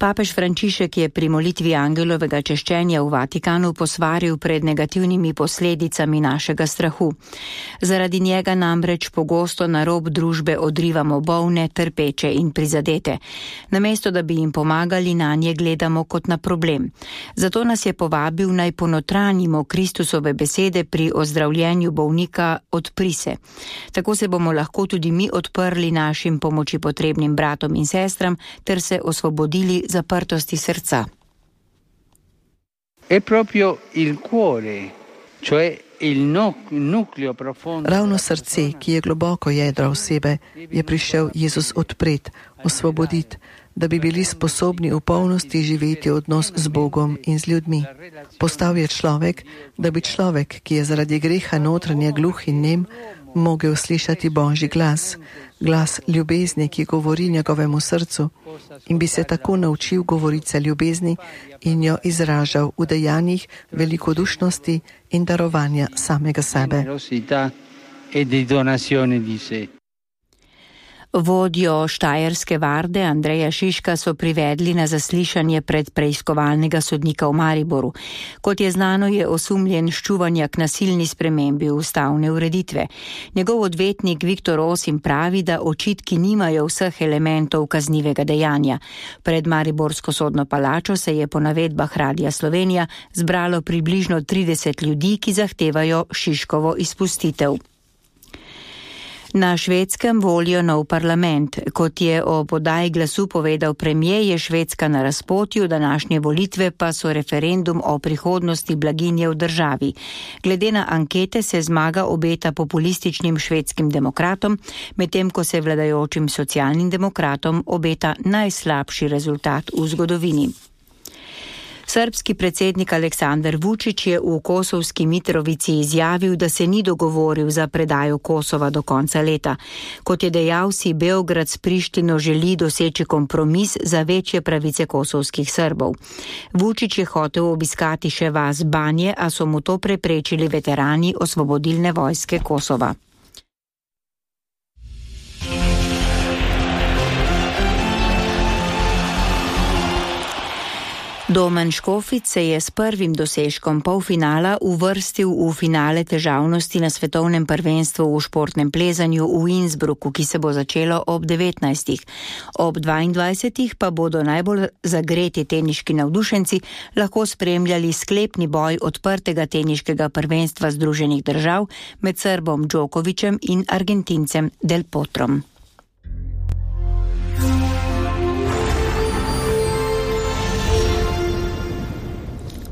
Papež Frančišek je pri molitvi angelovega češčenja v Vatikanu posvaril pred negativnimi posledicami našega strahu. Zaradi njega namreč pogosto na rob družbe odrivamo bolne, trpeče in prizadete. Namesto, da bi jim pomagali, nanje gledamo kot na problem. Zato nas je povabil, naj ponotranjimo Kristusove besede pri ozdravljenju bolnika odpri se. Tako se bomo lahko tudi mi odprli našim pomoči potrebnim bratom in sestram ter se osvobodili zaprtosti srca. È proprio il cuore, cioè il nucleo profondo. Ravno srce, ki je globoko jedro osebe, je prišel Jezus odpreti, osvoboditi, da bi bili sposobni v polnosti živeti odnos z Bogom in z ljudmi. Postal je človek, da bi človek, ki je zaradi greha notranje gluh in nem, mogel slišati Božji glas, glas ljubezni, ki govori njegovemu srcu, in bi se tako naučil govorice ljubezni in jo izražal v dejanjih velikodušnosti in darovanja samega sebe. Vodjo štajerske varde Andreja Šiška so privedli na zaslišanje pred preiskovalnega sodnika v Mariboru. Kot je znano, je osumljen ščuvanja k nasilni spremembi ustavne ureditve. Njegov odvetnik Viktor Osim pravi, da očitki nimajo vseh elementov kaznivega dejanja. Pred mariborsko sodno palačo se je po navedbah Radia Slovenija zbralo približno 30 ljudi, ki zahtevajo Šiškovo izpustitev. Na Švedskem volijo nov parlament. Kot je o podaji glasu povedal premijer, je Švedska na razpotju, današnje volitve pa so referendum o prihodnosti blaginje v državi. Glede na ankete se zmaga obeta populističnim švedskim demokratom, medtem ko se vladajočim socialnim demokratom obeta najslabši rezultat v zgodovini. Srbski predsednik Aleksandar Vučić je v Kosovski Mitrovici izjavil, da se ni dogovoril za predajo Kosova do konca leta. Kot je dejal, si Beograd s Prištino želi doseči kompromis za večje pravice kosovskih Srbov. Vučić je hotel obiskati še vas Banje, a so mu to preprečili veterani Osvobodilne vojske Kosova. Domen Škofic se je s prvim dosežkom polfinala uvrstil v finale težavnosti na svetovnem prvenstvu v športnem plezanju v Innsbrucku, ki se bo začelo ob 19. Ob 22. pa bodo najbolj zagreti teniški navdušenci lahko spremljali sklepni boj odprtega teniškega prvenstva Združenih držav med Srbom Djokovićem in Argentincem Del Potrom.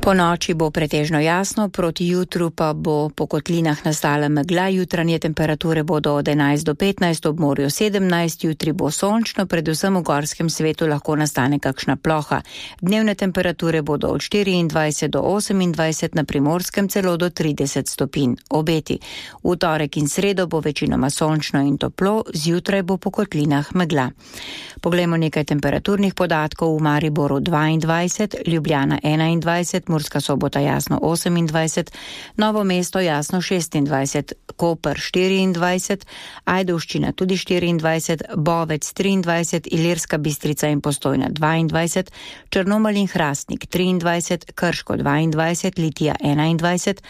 Po noči bo pretežno jasno, proti jutru pa bo po kotlinah nastala megla, jutranje temperature bodo od 11 do 15, ob morju 17, jutri bo sončno, predvsem v gorskem svetu lahko nastane kakšna ploha. Dnevne temperature bodo od 24 do 28, na Primorskem celo do 30 stopinj. Obeti. V torek in sredo bo večinoma sončno in toplo, zjutraj bo po kotlinah megla. Poglejmo nekaj temperaturnih podatkov. V Mariboru 22, Ljubljana 21, Murska Sobota jasno 28, Novo mesto jasno 26, Koper 24, Ajdovščina tudi 24, Bovec 23, Ilirska Bistrica in Postojna 22, Črnomelj in Hrastnik 23, Krško 22, Litija 21,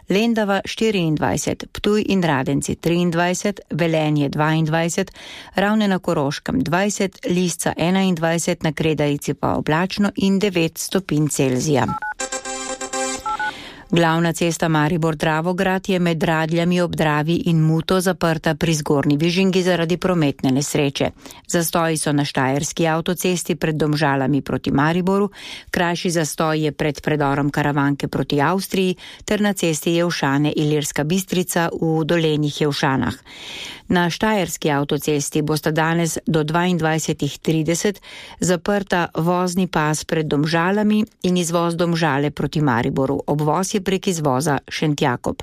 Lendava 24, Ptuj in Radenci 23, Velenje 22, Ravne na Koroškem 20, Lisca 21, na Kredarici pa oblačno in 9 stopinj Celzija. Glavna cesta Maribor-Dravograd je med Radljami ob Dravi in Muto zaprta pri Zgornji Vižingi zaradi prometne nesreče. Zastoji so na Štajerski avtocesti pred Domžalami proti Mariboru, krajši zastoj je pred predorom Karavanke proti Avstriji ter na cesti Jelšane-Ilirska Bistrica v Dolenjih Jelšanah. Na Štajerski avtocesti bosta danes do 22:30 zaprta vozni pas pred Domžalami in izvoz Domžale proti Mariboru. Obvoz je prek izvoza Šentjakob.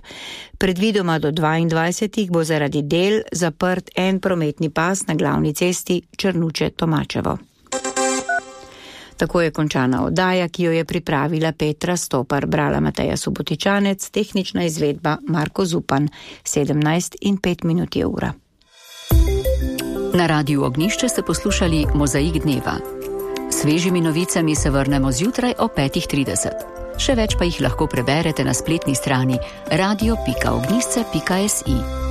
Predvidoma do 22. bo zaradi del zaprt en prometni pas na glavni cesti Črnuče-Tomačevo. Tako je končana oddaja, ki jo je pripravila Petra Stopar, brala Mateja Subotičanec, tehnična izvedba Marko Zupan, 17:05 je ura. Na Radiu Ognjišče ste poslušali Mozaik dneva. Svežimi novicami se vrnemo zjutraj o 5:30. Še več pa jih lahko preberete na spletni strani radio.ognisce.si.